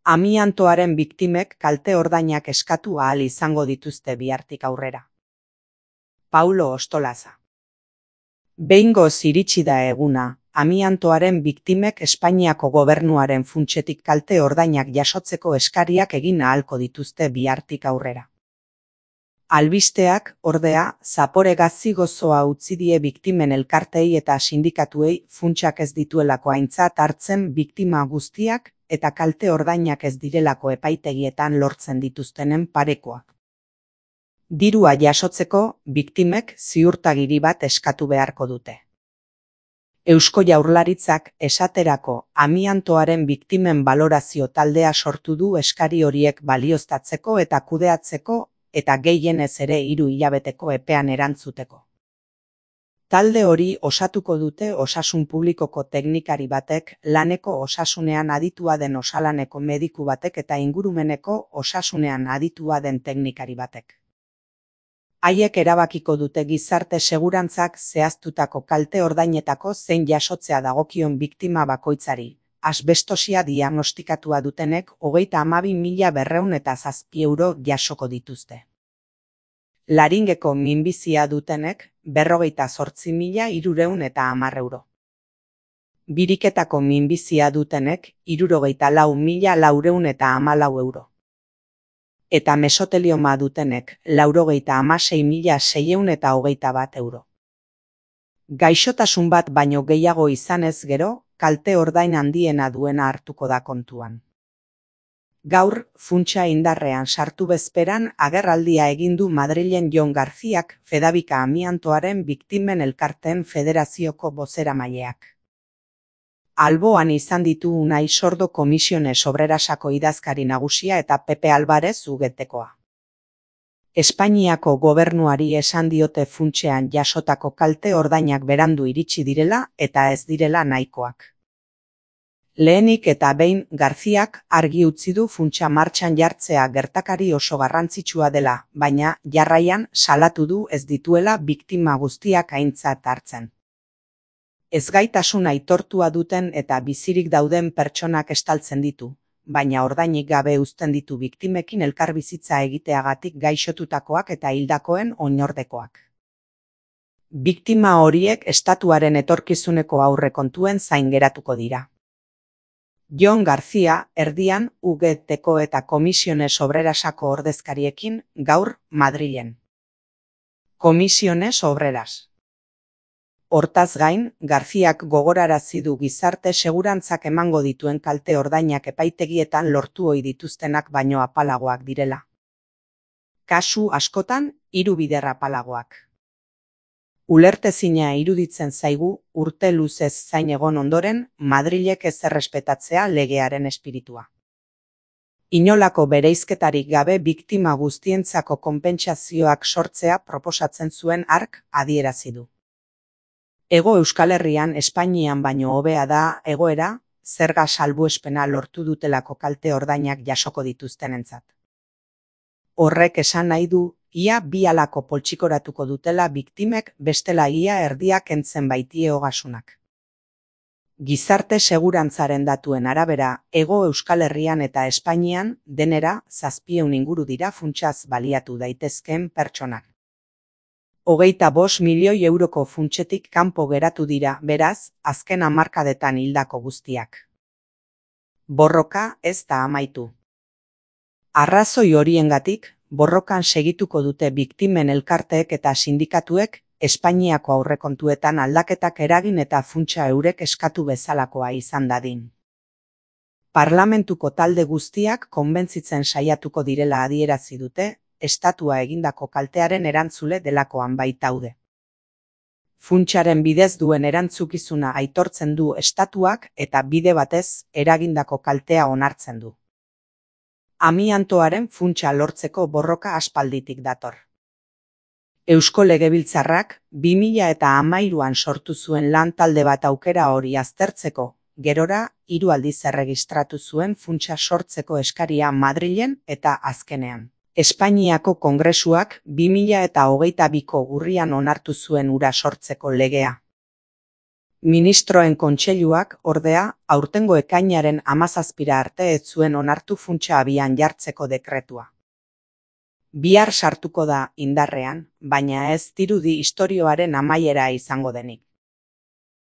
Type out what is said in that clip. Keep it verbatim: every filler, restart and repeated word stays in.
Amiantoaren biktimek kalte ordainak eskatu ahal izango dituzte bihartik aurrera. Paulo Ostolaza. Behingoz iritsi da eguna, amiantoaren biktimek Espainiako gobernuaren funtsetik kalte ordainak jasotzeko eskariak egin ahalko dituzte bihartik aurrera. Albisteak, ordea, zapore gazi gozoa utzi die biktimen elkarteei eta sindikatuei funtsak ez dituelako aintzat hartzen biktima guztiak eta kalte ordainak ez direlako epaitegietan lortzen dituztenen parekoak. Dirua jasotzeko, biktimek ziurtagiri bat eskatu beharko dute. Eusko Jaurlaritzak esaterako amiantoaren biktimen balorazio taldea sortu du eskari horiek balioztatzeko eta kudeatzeko eta gehienez ere hiru hilabeteko epean erantzuteko. Talde hori osatuko dute osasun publikoko teknikari batek, laneko osasunean aditua den osalaneko mediku batek eta ingurumeneko osasunean aditua den teknikari batek. Haiek erabakiko dute gizarte segurantzak zehaztutako kalte ordainetako zein jasotzea dagokion biktima bakoitzari. Asbestosia diagnostikatua dutenek hogeita hamabi mila berrehun eta zazpi euro jasoko dituzte. Laringeko minbizia dutenek berrogeita zortzi mila hirurehun eta hamar euro. Biriketako minbizia dutenek hirurogeita lau mila laurehun eta hamalau euro. Eta mesotelioma dutenek laurogeita hamasei mila seiehun eta hogeita bat euro. Gaixotasun bat baino gehiago izanez gero, kalte ordain handiena duena hartuko da kontuan. Gaur, funtsa indarrean sartu bezperan agerraldia egin du Madrilen Jon Garziak Fedabika amiantoaren biktimen elkarteen federazioko bozeramaileak. Alboan izan ditu Unai Sordo Komisiones Obrerasako idazkari nagusia eta Pepe Alvarez Ugetekoa. Espainiako gobernuari esan diote funtsean jasotako kalte ordainak berandu iritsi direla eta ez direla nahikoak. Lehenik eta behin Garziak argi utzi du funtsa martxan jartzea gertakari oso garrantzitsua dela, baina jarraian salatu du ez dituela biktima guztiak aintzat hartzen. Ezgaitasun aitortua duten eta bizirik dauden pertsonak estaltzen ditu, baina ordainik gabe uzten ditu biktimekin elkarbizitza egiteagatik gaixotutakoak eta hildakoen oinordekoak. Biktima horiek estatuaren etorkizuneko aurrekontuen zain geratuko dira. Jon Garzia, erdian, Ugeteko eta Komisiones Obrerasako ordezkariekin, gaur, Madrilen. Komisiones Obreras. Hortaz gain, Garziak gogorarazi du gizarte segurantzak emango dituen kalte ordainak epaitegietan lortu ohi dituztenak baino apalagoak direla. Kasu askotan, hiru bider apalagoak. Ulertezina iruditzen zaigu, urte luzez zain egon ondoren, Madrilek ez errespetatzea legearen espiritua. Inolako bereizketarik gabe biktima guztientzako konpentsazioak sortzea proposatzen zuen hark adierazi du. Hego Euskal Herrian Espainian baino hobea da egoera, zerga salbuespena lortu dutelako kalte ordainak jasoko dituztenentzat. Horrek esan nahi du, ia bi alako poltsikoratuko dutela biktimek bestela ia erdiak kentzen baitie ogasunak. Gizarte segurantzaren datuen arabera, Hego Euskal Herrian eta Espainian denera zazpieun inguru dira funtsaz baliatu daitezkeen pertsonak. Hogeita bost milioi euroko funtsetik kanpo geratu dira, beraz, azken hamarkadetan hildako guztiak. Borroka ez da amaitu. Arrazoi horiengatik, borrokan segituko dute biktimen elkarteek eta sindikatuek Espainiako aurrekontuetan aldaketak eragin eta funtsa eurek eskatu bezalakoa izan dadin. Parlamentuko talde guztiak konbentzitzen saiatuko direla adierazi dute, estatua egindako kaltearen erantzule delakoan baitaude. Funtsaren bidez duen erantzukizuna aitortzen du estatuak eta bide batez eragindako kaltea onartzen du. Amiantoaren funtsa lortzeko borroka aspalditik dator. Eusko Legebiltzarrak bi mila hamairuan sortu zuen lan talde bat aukera hori aztertzeko, gerora hiru aldiz erregistratu zuen funtsa sortzeko eskaria Madrilen eta azkenean. Espainiako Kongresuak bi mila hogeita biko urrian onartu zuen hura sortzeko legea. Ministroen kontseiluak, ordea, aurtengo ekainaren hamazazpira arte ez zuen onartu funtsa abian jartzeko dekretua. Bihar sartuko da indarrean, baina ez dirudi istorioaren amaiera izango denik.